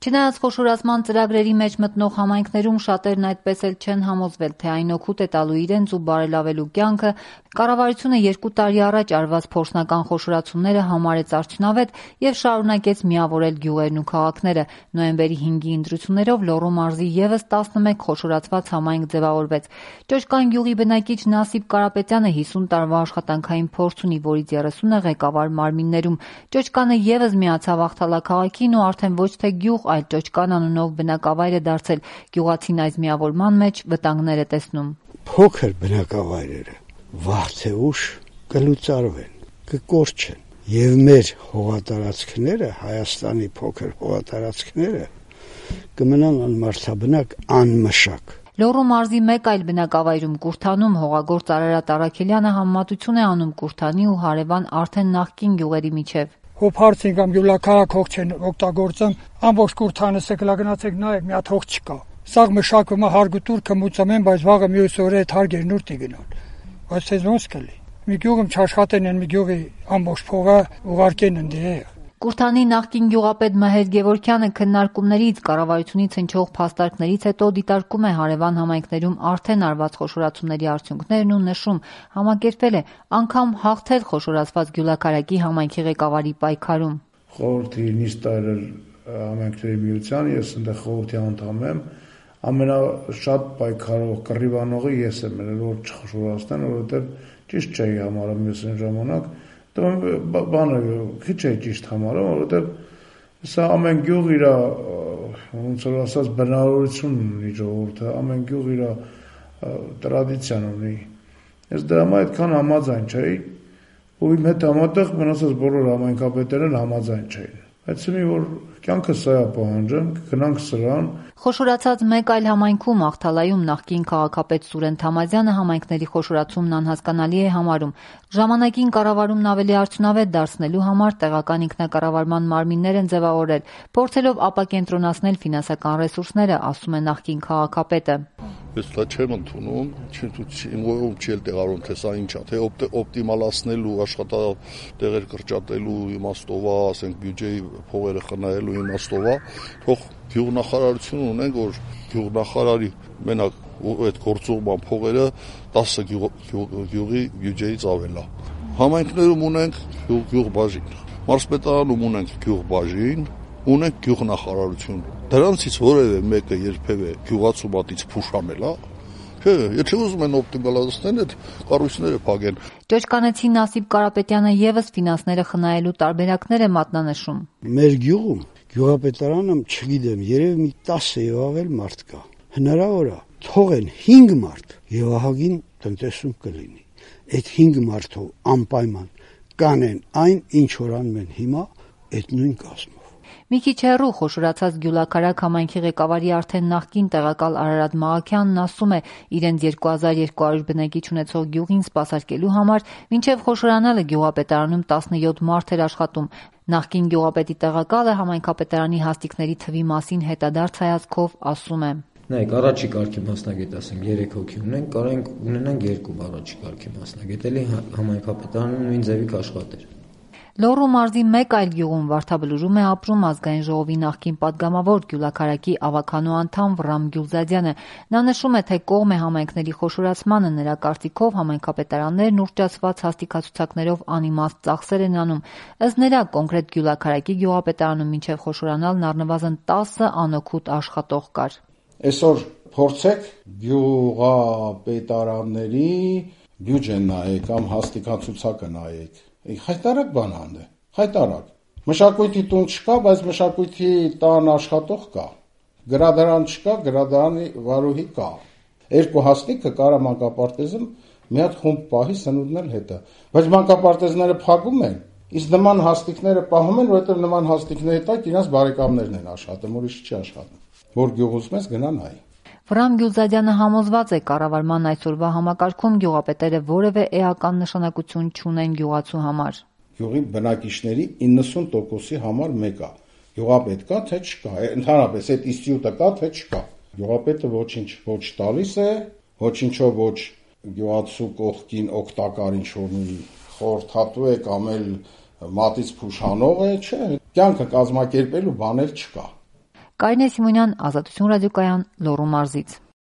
Չնայած խոշորացման ծրագրերի մեջ մտնող համայնքներում շատերն այդպես էլ չեն համոզվել, թե այն օգուտ է տալու իրենց ու բարելավելու կյանքը, կառավարությունը 2 տարի առաջ արված փորձնական խոշորացումները համարեց արդյունավետ եւ շարունակեց միավորել գյուղերն ու քաղաքները։ Նոյեմբերի 5-ի ընտրություններով Լոռու մարզի եւս 11 խոշորացված համայնք ձևավորվեց։ Ճոճկան գյուղի բնակիչ Նասիբ Կարապետյանը 50 տարվա աշխատանքային փորձ ունի, որից 30-ը ղեկավար մարմիններում։ Ճոճկանը եւս միացավ Աղթալա քաղաքին ու արդեն ոչ թե գյուղ, այլ Ճոճկան անունով բնակավայր է դարձել։ Գյուղացին այս միավորման մեջ վտանգներ է տեսնում։ Փոքր բնակավայրերը վաղ թե ուշ կլուծարվեն, կկորչեն, եւ մեր հողատարածքները, Հայաստանի փոքր հողատարածքները կմնան անմարդաբնակ, անմշակ։ Լոռու մարզի մեկ այլ բնակավայրում Կուրթանում հողագործ Արարատ Առաքելյանը համեմատություն է անում Կուրթանի ու հարևան արդեն նախկին գյուղերի միջև։ Հոփարցին կամ յուլակարակ հող չեն օգտագործում, ամբողջ Կուրթանը գնացեք նայեք, մի հատ հող չկա։ Սաղ մշակվում է հարգուտուր կմուծում են, բայց վաղը մյուս օրը այդ հարգերն ուր տիգնան։ Բայց դες ոնց կլի։ Մի գյուղում չաշխատեն են, մի գյուղի ամբողջ փողը ուղարկեն ընդեղ։ Կուրթանի նախկին գյուղապետ Մհեր Գևորգյանը քննարկումներից, կառավարությունից հնչող փաստարկներից հետո դիտարկում է հարևան համայնքներում արդեն արված խոշորացումների արդյունքներն ու նշում, համակերպվել է անգամ հաղթել խոշորացված Գյուլաքարակի համայնքի ղեկավարի պայքարում։ Խորհրդի նիստարար համայնքների միության, ես այնտեղ խորհրդի անդամ եմ, ամենաշատ պայքարող կռիվանողը ես եմ, որ չխոշորացնեն, որովհետև ճիշտ չէի համարում ես այն ժամանակ, բանը քիչ է ճիշտ համարում, որովհետև սա ամեն գյուղ իր ոնց որ ասած բնավորություն ունի ժողովուրդը, ամեն գյուղ իր տրադիցիան ունի։ Ես դրա համար այդքան համաձայն չէի, ու իմ հետ համատեղ մնացած բոլոր համայնքապետերն համաձայն չէին։ Բայց մի որ կյանքը սա է պահանջում, գնանք սրան։ Խոշորացած մեկ այլ համայնքում Աղթալայում նախկին քաղաքապետ Սուրեն Թամազյանը համայնքների խոշորացումն անհասկանալի է համարում։ Ժամանակին կառավարումն ավելի արդյունավետ դարձնելու համար տեղական ինքնակառավարման մարմիններ են ձևավորել, փորձելով ապակենտրոնացնել ֆինանսական ռեսուրսները, ասում է նախկին քաղաքապետը։ Ես դա չեմ ընդունում, իմ գոյում չի էլ տեղառում, թե սա ինչ է, թե օպտիմալացնելու, աշխատատեղեր կրճատելու իմաստով է, ասենք բյուջեի փողերը խնայելու իմաստով է, թող գյուղնախարարություն ունենք, որ գյուղնախարարի մենակ այդ գործողման փողերը 10 գյուղի բյուջեից ավել է։ Համայնքներում ունենք գյուղբաժին, մարզպետարանում ունենք գյուղբաժին, ունենք գյուղնախարարություն։ Դրանցից որևէ մեկը երբևէ գյուղացու մատից փուշամել է։ Չէ, եթե ուզում են օպտիմալացնել, այդ կառույցները փակեն։ Ճոճկանեցի Նասիբ Կարապետյանը եւս ֆինանսները խնայելու տարբերակներ է մատնանշում։ Մեր գյուղում գյուղապետարանը, չգիտեմ, երևի մի 10 եւ ավել մարդ կա։ Հնարավոր է թողեն 5 մարդ եւ ահագին տնտեսում կլինի։ Այդ 5 մարդով անպայման կանեն այն, ինչ որ անում են հիմա, այդ նույն կազմով։ Մի քիչ հեռու խոշորացած Գյուլաքարակ համայնքի ղեկավարի արդեն նախկին տեղակալ Արարատ Մաղաքյանն ասում է, իրենց 2200 բնակիչ ունեցող գյուղին սպասարկելու համար մինչև խոշորանալը գյուղապետարանում 17 մարդ էր աշխատում։ Նախկին գյուղապետի տեղակալը համայնքապետարանի հաստիքների թվի մասին հետադարձ հայացքով ասում է. Նայեք, առաջի կարգի մասնագետ, ասենք 3 հոգի ունենք, կարող ունենանք 2 առաջի կարգի մասնագետ, էլի համայնքապետարանում նույն ձևի կաշխատեր։ Լոռու մարզի մեկ այլ գյուղում Վարդաբլուրում է ապրում ազգային ժողովի նախկին падգամավոր Գյուլաքարակի ավականու անդամ Վռամ Գյուլզադյանը։ Նա նշում է, թե կողմ է համայնքների խոշորացմանը, նրա կարծիքով համայնքապետարաններն ուռճացված հաստիկացուցակներով անիմաստ ծախսեր են անում։ Ըստ նրա, կոնկրետ Գյուլաքարակի գյուղապետարանում մինչև խոշորանալն առնվազն 10 անօգուտ աշխատող կար։ Այսօր փորձեք գյուղապետարանների բյուջեն նայեք կամ հաստիկացուցակը նայեք։ Հայտարարակ բան անդ է, հայտարարակ։ Մշակույթի տուն չկա, բայց մշակույթի տան աշխատող կա։ Գրադարան չկա, գրադարանի վարուհի կա։ 2 հաստիկը կարա մանկապարտեզում մի հատ խումբ պահի սնունդն էլ հետը։ Բայց մանկապարտեզները փակում են, իսկ նման հաստիկները պահում են, որովհետև նման հաստիկների տակ իրաց բարեկամներն են աշխատում, ուրիշ չի աշխատում։ Որ գյուղուց մեզ գնա նայ։ Վռամ Գյուլզադյանը համոզված է, կառավարման այսօրվա համակարգում գյուղապետերը որևէ էական նշանակություն չունեն գյուղացու համար։ Գյուղի բնակիչների 90%-ի համար մեկ է։ Գյուղապետ կա, թե չկա։ Ընդհանրապես այդ ինստիտուտը կա, թե չկա։ Գյուղապետը ոչինչ ոչ տալիս է, ոչինչով ոչ գյուղացու կողքին օգտակար ինչ-որ մի խորհրդատու է կամ էլ մատից փուշանող է, չէ։ Կյանքը կազմակերպելու բաներ չկա։ Կարինե Սիմոնյան, Ազատություն ռադիոկայան, Լոռու մարզից։